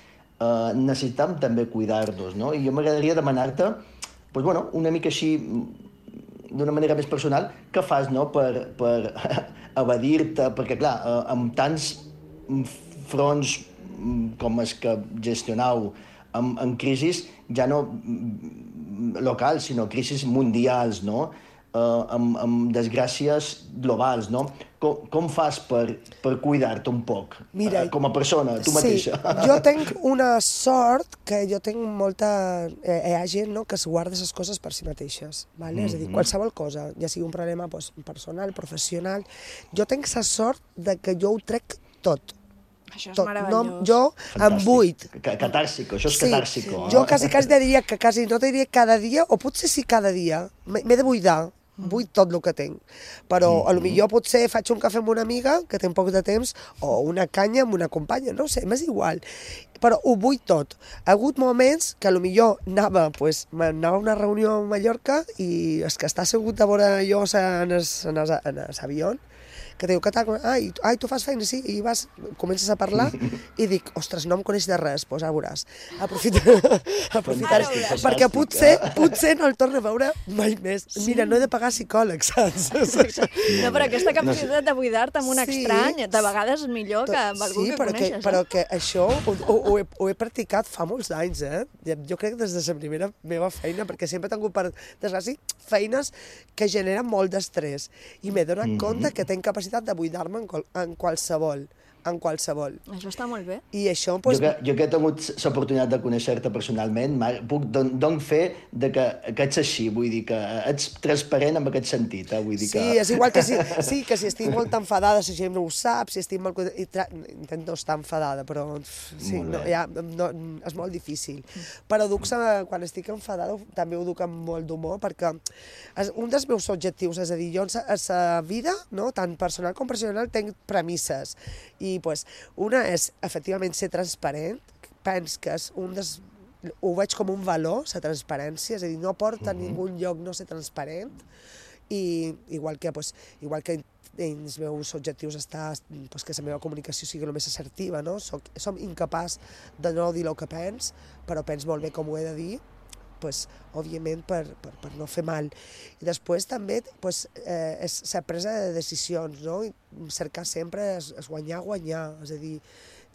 necessitem també cuidar-nos, no? I jo m'agradaria demanar-te, una mica així, d'una manera més personal, què fas per evadir-te? Perquè, clar, amb tants fronts com els que gestionau en crisis, ja no locals, sinó crisis mundials, no? Amb desgràcies globals, no? Com fas per cuidar-te un poc, com a persona, tu mateixa? Sí, jo tinc una sort que jo tinc molta... Hi ha gent que es guarda les coses per si mateixes, és a dir, qualsevol cosa, ja sigui un problema personal, professional, jo tinc la sort que jo ho trec tot. Això és meravellós. Jo em buit. Catàrsico, això és catàrsico. Jo quasi diria que no te diria cada dia, o potser sí cada dia, m'he de buidar. Vull tot el que tinc, però potser potser faig un cafè amb una amiga que té poc de temps, o una canya amb una companya, no sé, m'és igual, però ho vull tot. Ha hagut moments que potser anava a una reunió a Mallorca i és que està assegut a veure jo en l'avió, que diu, què tal? Ai, tu fas feina, sí? I comences a parlar i dic, ostres, no em coneix de res, doncs ara veuràs. Aprofitaré, perquè potser no el torno a veure mai més. Mira, no he de pagar psicòleg, saps? No, però aquesta capacitat de buidar-te amb un estrany, de vegades és millor que amb algú que coneixes. Sí, però que això ho he practicat fa molts anys, Jo crec que des de la primera meva feina, perquè sempre he tingut, per desgràcia, feines que generen molt d'estrès. I m'he donat compte que tinc capacitat de buidar-me en qualsevol en qualsevol. Això està molt bé. I això... Jo que he tingut l'oportunitat de conèixer-te personalment, Marc, puc donar fe que ets així, vull dir que ets transparent en aquest sentit. Vull dir que... Sí, és igual que si estic molt enfadada, si gent no ho sap, si estic molt... Intento no estar enfadada, però sí, és molt difícil. Però quan estic enfadada també ho duc amb molt d'humor, perquè un dels meus objectius, és a dir, jo a la vida, tant personal com professional, tinc premisses. I una és, efectivament, ser transparent. Penso que és ho veig com un valor, la transparència, és a dir, no porta a ningú lloc no ser transparent. I igual que els meus objectius està que la meva comunicació sigui el més assertiva, no? Som incapaç de no dir el que penso, però penso molt bé com ho he de dir, òbviament per no fer mal. I després també és la presa de decisions, no? Cercar sempre és guanyar, és a dir,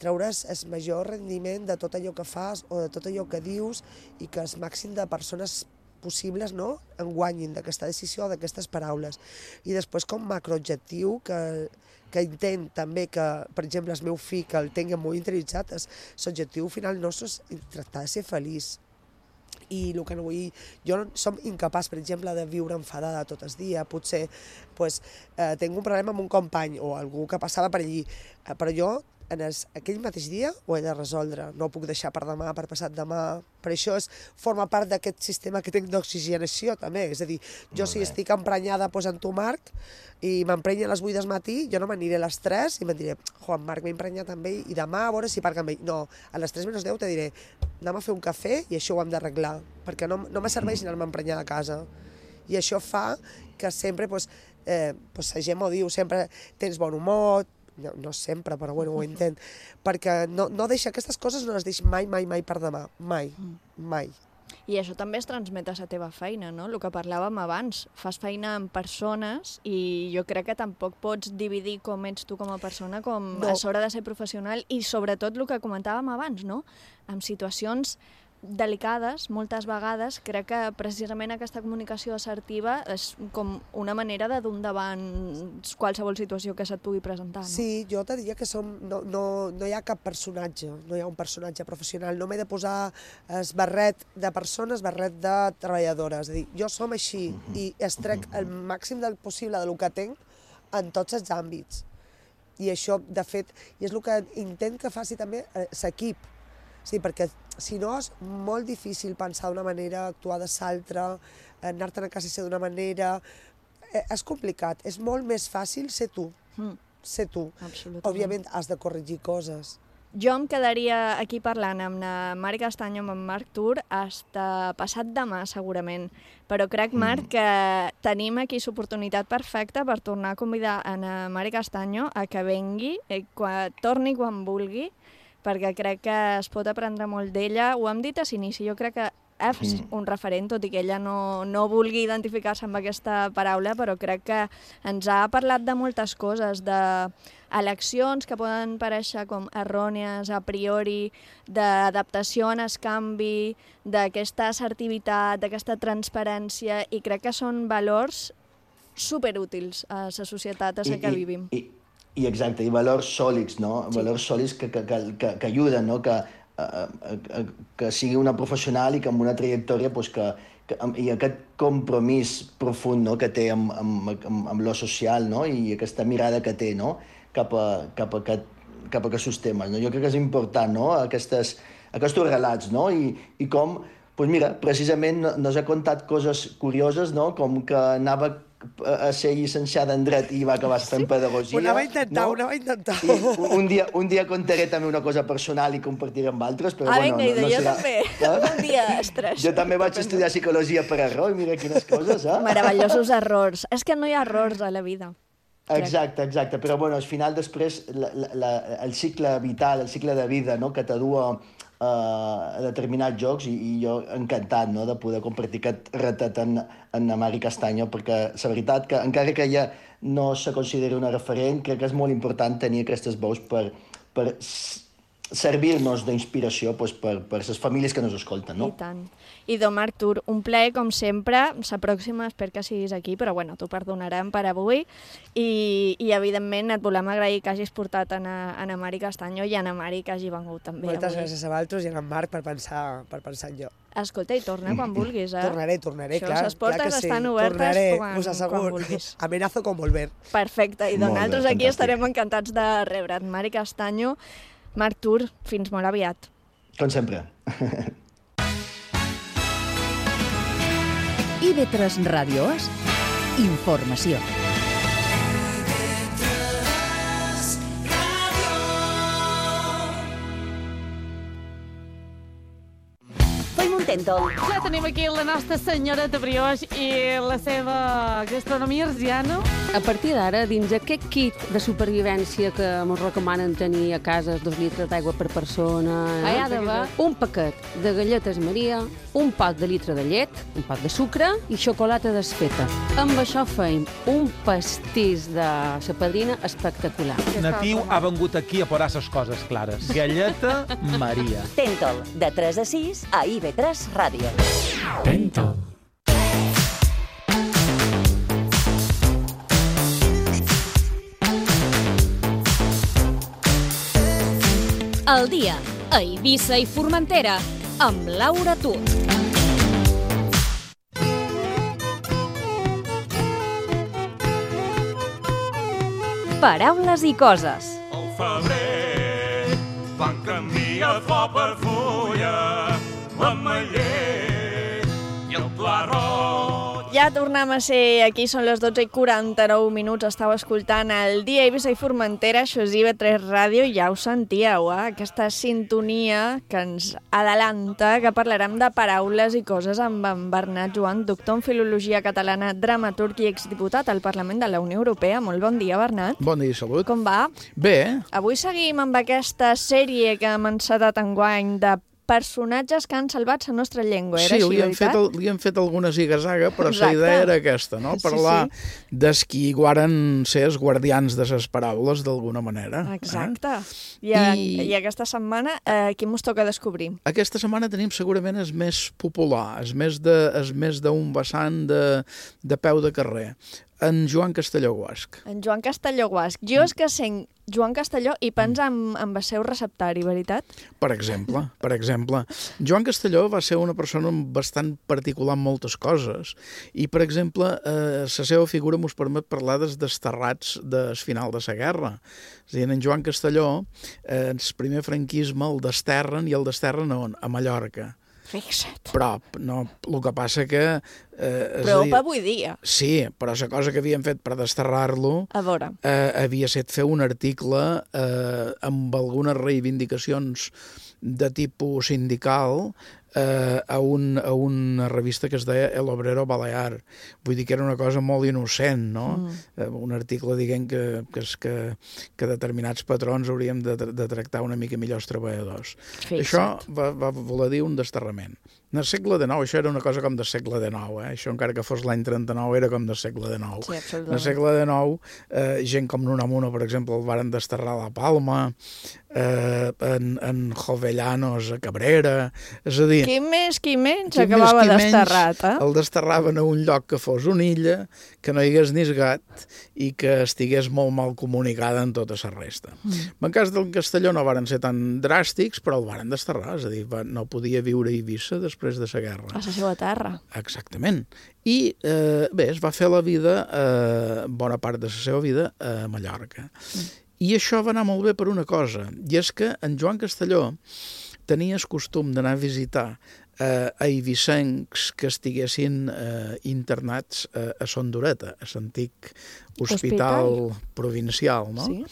treure's el major rendiment de tot allò que fas o de tot allò que dius i que el màxim de persones possibles en guanyin d'aquesta decisió o d'aquestes paraules. I després com macroobjectiu que intent també que, per exemple, el meu fill, que el tingui molt interioritzat, l'objectiu final nostre és tractar de ser feliç. I el que no vull... Jo som incapaç, per exemple, de viure enfadada tot el dia. Potser tinc un problema amb un company o algú que passava per allí, però jo aquell mateix dia ho he de resoldre. No ho puc deixar per demà, per passat demà. Per això forma part d'aquest sistema que tinc d'oxigenació, també. És a dir, jo si estic emprenyada en tu, Marc, i m'emprenya a les 8 del matí, jo no m'aniré a les 3 i me'n diré, en Marc m'he emprenyat amb ell i demà a veure si parc amb ell. No, a les 3 menys 10 te diré, anem a fer un cafè i això ho hem d'arreglar, perquè no me serveix anar-me emprenyada a casa. I això fa que sempre, la gent m'ho diu, sempre tens bon humor, no sempre, però bueno, ho intent, perquè no deixa aquestes coses, no les deixo mai per demà, mai. I això també es transmet a la teva feina, no? El que parlàvem abans, fas feina amb persones i jo crec que tampoc pots dividir com ets tu com a persona com a l'hora de ser professional i sobretot el que comentàvem abans, no? En situacions delicades, moltes vegades, crec que precisament aquesta comunicació assertiva és com una manera de dur endavant qualsevol situació que se't pugui presentar. No? Sí, jo te diria que no hi ha cap personatge, no hi ha un personatge professional, no m'he de posar el barret de persona, el barret de treballadora, és a dir, jo som així i extrec el màxim del possible del que tinc en tots els àmbits. I això, de fet, és el que intent que faci també l'equip. Sí, perquè si no és molt difícil pensar d'una manera, actuar de l'altra, anar-te'n a casa ser d'una manera... És complicat, és molt més fàcil ser tu. Ser tu. Absolutament. Òbviament has de corregir coses. Jo em quedaria aquí parlant amb la Mari Castanyo, amb en Marc Tur, fins passat demà, segurament. Però crec, Marc, que tenim aquí l'oportunitat perfecta per tornar a convidar a la Mari Castanyo a que vengui, torni quan vulgui, perquè crec que es pot aprendre molt d'ella. Ho hem dit a l'inici, jo crec que és un referent, tot i que ella no vulgui identificar-se amb aquesta paraula, però crec que ens ha parlat de moltes coses, d'eleccions que poden parèixer com errònies a priori, d'adaptació en el canvi, d'aquesta assertivitat, d'aquesta transparència, i crec que són valors superútils a la societat a la que vivim. I exacte, i valors sòlids, no? Sí. Valors sòlids que ajuden, no? Que sigui una professional i que amb una trajectòria i aquest compromís profund, no? Que té amb lo social, no? I aquesta mirada que té, no? cap a aquests temes. No? Jo crec que és important, no? Aquests relats, no? I com, doncs mira, precisament nos ha contat coses curioses, no? Com que anava a ser llicenciada en dret i va acabar fent pedagogia. Ho anava a intentar. Un dia contaré també una cosa personal i compartiré amb altres, però vinga, jo també. Un dia estrès. Jo també vaig estudiar psicologia per error, mira quines coses, eh? Meravellosos errors. És que no hi ha errors a la vida. Exacte, però al final després el cicle vital, el cicle de vida, no? Que t'adua a determinats jocs i jo encantat, no? De poder compartir aquest retat en la Mari Castanyo, perquè la veritat que encara que ella no se consideri una referent, crec que és molt important tenir aquestes veus per servir-nos d'inspiració per les famílies que ens escolten, no? I tant. I Dom Artur, un plaer, com sempre. La pròxima espero que siguis aquí, però bueno, t'ho perdonarem per avui. I evidentment, et volem agrair que hagis portat en Mari Castanyo i en Mari que hagi vengut també avui. Moltes gràcies a vosaltres i a en Marc per pensar en jo. Escolta, i torna quan vulguis, eh? Tornaré, clar. Les portes estan obertes quan vulguis. Amenazo con volver. Perfecte, i nosaltres aquí estarem encantats de rebre't. Mari Castanyo, Marc Tur, fins molt aviat. Com sempre. IB3 Ràdio És informació. Tentol. Ja tenim aquí la nostra senyora de brioix i la seva gastronomia arsiana. A partir d'ara, dins aquest kit de supervivència que ens recomanen tenir a casa 2 litres d'aigua per persona, hi ha d'haver un paquet de galletes Maria, un pot de litre de llet, un pot de sucre i xocolata desfeta. Amb això feim un pastís de la padrina espectacular. Natiu ha vengut aquí a posar les coses clares. Galleta Maria. Tentol, de 3 a 6 a IB3 Ràdio. Tentol. El dia a Eivissa i Formentera amb Laura Tur. Paraules i coses. El febrer, quan canvia el flor per fulla, l'ametller i el pla roig. Ja tornem a ser aquí, són les 12:49, estàu escoltant el dia Eivissa i Formentera, això és IB3 Ràdio, i ja ho sentíeu, aquesta sintonia que ens adelanta, que parlarem de paraules i coses amb en Bernat Joan, doctor en Filologia Catalana, dramaturg i exdiputat al Parlament de la Unió Europea. Molt bon dia, Bernat. Bon dia, salut. Com va? Bé. Avui seguim amb aquesta sèrie que hem encetat enguany de personatges que han salvat la nostra llengua, era així, veritat? Sí, li hem fet alguna ziga-zaga, però la idea era aquesta, no? Parlar dels qui guaren ser els guardians de les paraules, d'alguna manera. Exacte. I aquesta setmana, qui mos toca descobrir? Aquesta setmana tenim segurament el més popular, el més d'un vessant de peu de carrer. En Joan Castelló Guasch. En Joan Castelló Guasch. Jo és que sent Joan Castelló i pensa en el seu receptari, veritat? Per exemple. Joan Castelló va ser una persona bastant particular en moltes coses i, per exemple, la seva figura mos permet parlar dels desterrats del final de la guerra. És a dir, en Joan Castelló, el primer franquisme el desterren, i el desterren on? A Mallorca. Fixa't. Prop, no? El que passa que... Prop avui dia. Sí, però la cosa que havien fet per desterrar-lo havia estat fer un article amb algunes reivindicacions de tipus sindical a una revista que es deia El Obrero Balear. Vull dir que era una cosa molt innocent, no? Un article dient que determinats patrons hauríem de tractar una mica millor els treballadors. Això va voler dir un desterrament. En el segle XIX, això era una cosa com del segle XIX, això encara que fos l'any 39 era com del segle XIX. Sí, absolutament. En el segle XIX, gent com Nunamuno, per exemple, el varen desterrar a la Palma, en Jovellanos a Cabrera, és a dir... Qui més acabava desterrat, eh? El desterraven a un lloc que fos una illa, que no hi hagués ni gat i que estigués molt mal comunicada en tota la resta. En cas del Castelló no varen ser tan dràstics, però el varen desterrar, és a dir, no podia viure a Eivissa després de la guerra. A la seva terra. Exactament. I bé, es va fer la vida, bona part de la seva vida, a Mallorca. I això va anar molt bé per una cosa, i és que en Joan Castelló tenia el costum d'anar a visitar eivissencs que estiguessin internats a Son Dureta, a l'antic hospital provincial, no? Sí.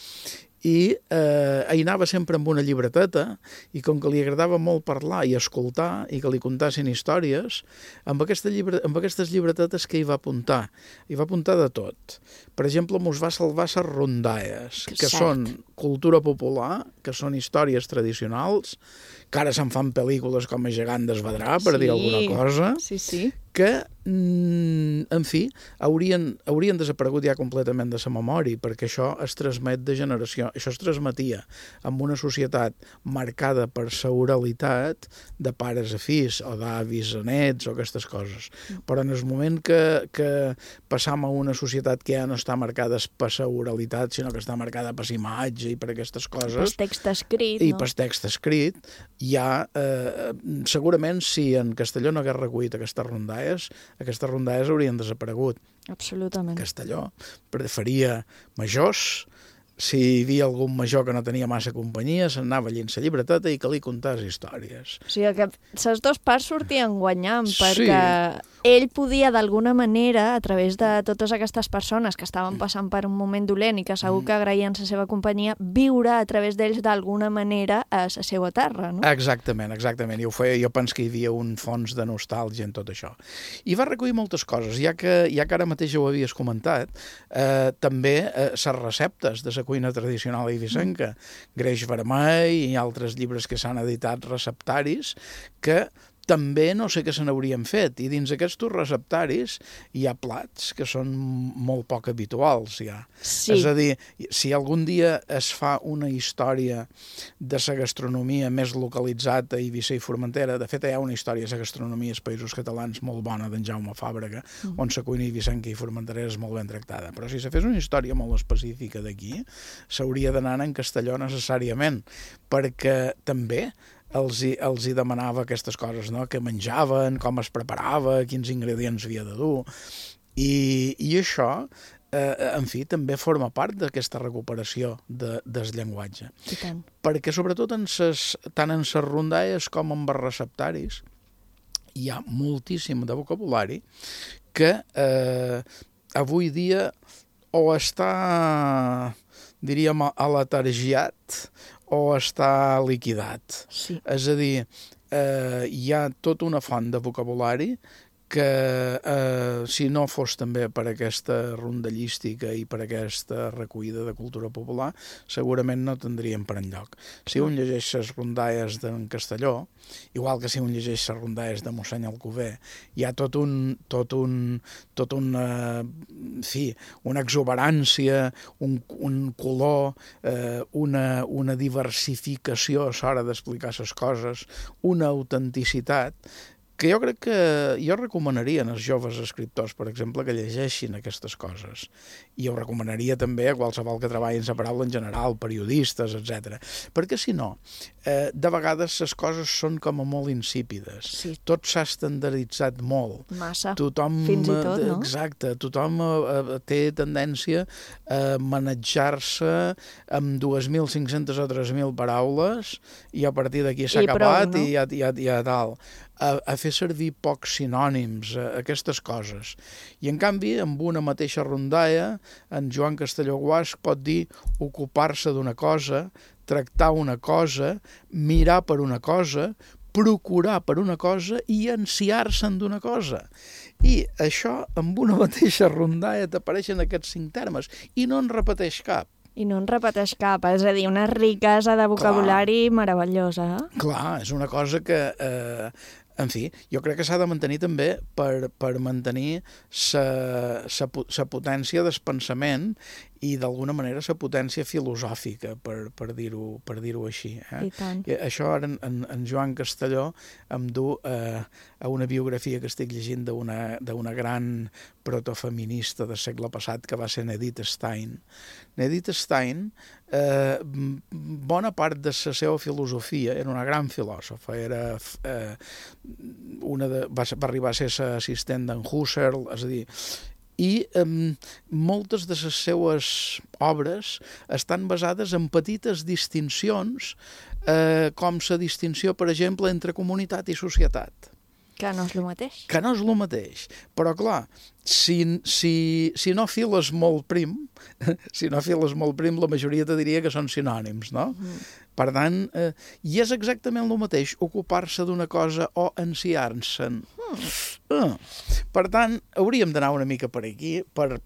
I hi anava sempre amb una llibreteta, i com que li agradava molt parlar i escoltar i que li contassin històries, amb aquestes llibretetes que hi va apuntar? Hi va apuntar de tot. Per exemple, mos va salvar les rondalles, que són cultura popular, que són històries tradicionals, que ara se'n fan pel·lícules com a Gegant d'Esvedrà, per dir alguna cosa, que en fi, haurien desaparegut ja completament de la memòria, perquè això es transmet de generació. Això es transmetia en una societat marcada per la oralitat de pares a fills, o d'avis a nets, o aquestes coses. Però en el moment que passam a una societat que ja no està marcada per la oralitat, sinó que està marcada per la imatge i per aquestes coses... Per text escrit, no? I per text escrit, ja, segurament, si en Castelló no hagués recollit aquestes rondalles haurien desaparegut. Absolutament. Castelló faria majors, si hi havia algun major que no tenia massa companyia, se'n anava allà en la llibreteta i que li contàs històries. O sigui que les dues parts sortien guanyant, perquè ell podia d'alguna manera, a través de totes aquestes persones que estaven passant per un moment dolent i que segur que agraïen la seva companyia, viure a través d'ells d'alguna manera a la seva terra, no? Exactament. I ho feia, jo penso que hi havia un fons de nostàlgia en tot això. I va recollir moltes coses, ja que ara mateix ho havies comentat, també les receptes de la cuina tradicional eivissenca, greix vermell i altres llibres que s'han editat receptaris, que també no sé què se n'haurien fet, i dins aquests receptaris hi ha plats que són molt poc habituals, ja. Sí. És a dir, si algun dia es fa una història de la gastronomia més localitzada a Eivissa i Formentera, de fet hi ha una història de la gastronomia als Països Catalans molt bona d'en Jaume Fàbrega, on la cuina eivissenca i formenterera és molt ben tractada, però si se fes una història molt específica d'aquí, s'hauria d'anar en Castelló necessàriament, perquè també els hi demanava aquestes coses, no? Què menjaven, com es preparava, quins ingredients havia de dur. I això, en fi, també forma part d'aquesta recuperació del llenguatge. I tant. Perquè sobretot tant en les rondalles com en els receptaris hi ha moltíssim de vocabulari que avui dia o està, diríem, alatargiat o està liquidat. Sí. És a dir, hi ha tota una font de vocabulari que si no fos també per aquesta rondallística i per aquesta recollida de cultura popular, segurament no tindríem per enlloc. Si un llegeix les rondalles d'en Castelló, igual que si un llegeix les rondalles de mossèn Alcover, hi ha una exuberància, un color, una diversificació a l'hora d'explicar les coses, una autenticitat, que jo crec que jo recomanaria als joves escriptors, per exemple, que llegeixin aquestes coses. I ho recomanaria també a qualsevol que treballi en la paraula en general, periodistes, etc. Perquè si no, de vegades les coses són com a molt insípides. Sí. Tot s'ha estandarditzat molt. Massa. Tothom, fins i tot, no? Exacte. Tothom té tendència a manejar-se amb 2.500 o 3.000 paraules i a partir d'aquí s'ha acabat prou, no? i ja tal. A fer servir pocs sinònims, aquestes coses. I en canvi, amb una mateixa rondalla, en Joan Castelló Guasch pot dir ocupar-se d'una cosa, tractar una cosa, mirar per una cosa, procurar per una cosa i ansiar-se'n d'una cosa. I això, amb una mateixa rondalla, t'apareixen aquests 5 termes i no en repeteix cap. I no en repeteix cap, és a dir, una riquesa de vocabulari meravellosa. Clar, és una cosa que... En fi, jo crec que s'ha de mantenir també per mantenir la potència del pensament i d'alguna manera la potència filosòfica, per dir-ho així. I tant. I això ara en Joan Castelló em du a una biografia que estic llegint d'una gran protofeminista del segle passat que va ser Edith Stein. Edith Stein, bona part de la seva filosofia, era una gran filòsofa, va arribar a ser l'assistent d'en Husserl, és a dir, i moltes de les seues obres estan basades en petites distincions, com la distinció, per exemple, entre comunitat i societat. Que no és el mateix. Que no és el mateix. Però, clar, si no files molt prim, la majoria te diria que són sinònims, no? Per tant, i és exactament el mateix, ocupar-se d'una cosa o ansiar-se'n. Per tant, hauríem d'anar una mica per aquí, per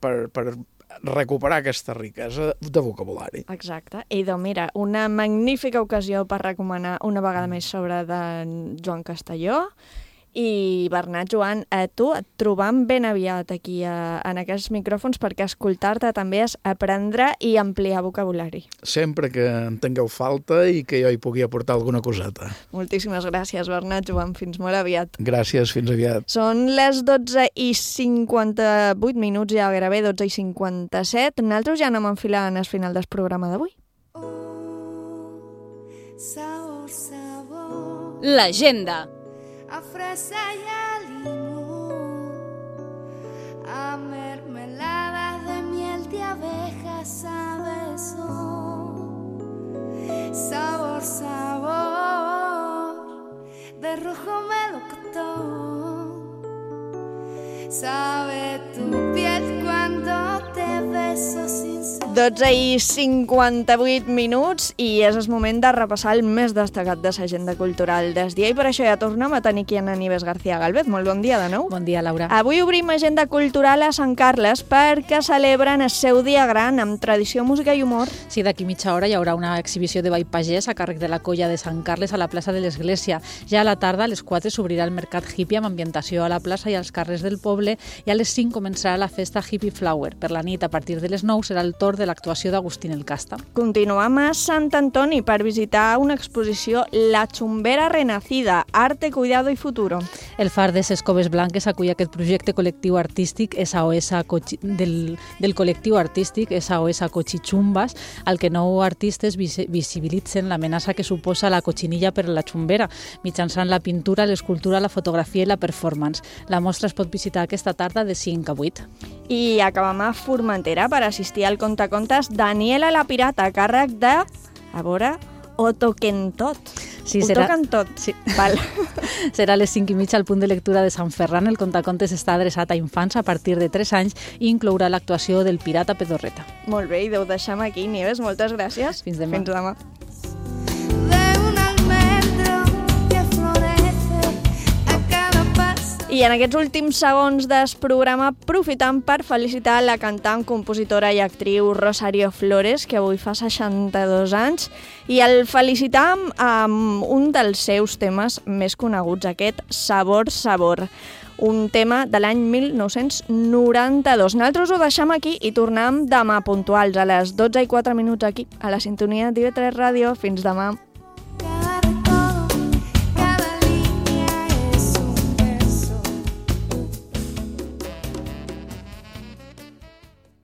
recuperar aquesta riquesa de vocabulari. Exacte. I doncs mira, una magnífica ocasió per recomanar una vegada més sobre de Joan Castelló. I Bernat, Joan, a tu et trobam ben aviat aquí en aquests micròfons perquè escoltar-te també és aprendre i ampliar vocabulari. Sempre que en tingueu falta i que jo hi pugui aportar alguna coseta. Moltíssimes gràcies, Bernat, Joan. Fins molt aviat. Gràcies, fins aviat. Són les 12:58 minuts, ja gairebé 12:57. Nosaltres ja anem enfilant el final del programa d'avui. Sabor, sabor. L'agenda. A fresa y a limón, a mermelada de miel de abejas, sabes, sabor, sabor, de rojo melocotón, sabe tu piel cuando te beso sin saber. 12:58 minuts i és el moment de repassar el més destacat de l'agenda cultural del dia i per això ja tornem a tenir aquí en Aníbal García Galvez. Molt bon dia de nou. Bon dia, Laura. Avui obrim agenda cultural a Sant Carles perquè celebren el seu dia gran amb tradició, música i humor. Sí, d'aquí mitja hora hi haurà una exhibició de ball pagès a càrrec de la colla de Sant Carles a la plaça de l'Església. Ja a la tarda, a les 4, s'obrirà el mercat hippie amb ambientació a la plaça i als carrers del poble i a les 5 començarà la festa Hippie Flower. Per la nit, a partir de les 9, serà el torn de l'actuació d'Agustín el Casta. Continuem a Sant Antoni per visitar una exposició La Chumbera Renacida, Arte, Cuidado i Futuro. El Far de ses Coves Blanques acull aquest projecte col·lectiu artístic del col·lectiu artístic SOS Cochichumbas, al que 9 artistes visibilitzen l'amenaça que suposa la cochinilla per la xumbera, mitjançant la pintura, l'escultura, la fotografia i la performance. La mostra es pot visitar aquesta tarda de 5 a 8. I acabem a Formentera per assistir al contacontes Daniela la Pirata, a càrrec de, a veure, Ho toquen tot. Sí, Ho toquen tot. Sí. Val. Serà a les 5:30 al punt de lectura de Sant Ferran. El contacontes està adreçat a infants a partir de 3 anys i inclourà l'actuació del Pirata Pedorreta. Molt bé, i ho deixem aquí, Nieves. Moltes gràcies. Fins demà. Fins demà. I en aquests últims segons del programa aprofitam per felicitar la cantant, compositora i actriu Rosario Flores, que avui fa 62 anys, i el felicitam amb un dels seus temes més coneguts, aquest Sabor, Sabor, un tema de l'any 1992. Nosaltres ho deixem aquí i tornem demà puntuals a les 12:04 aquí, a la sintonia d'IV3 Ràdio. Fins demà.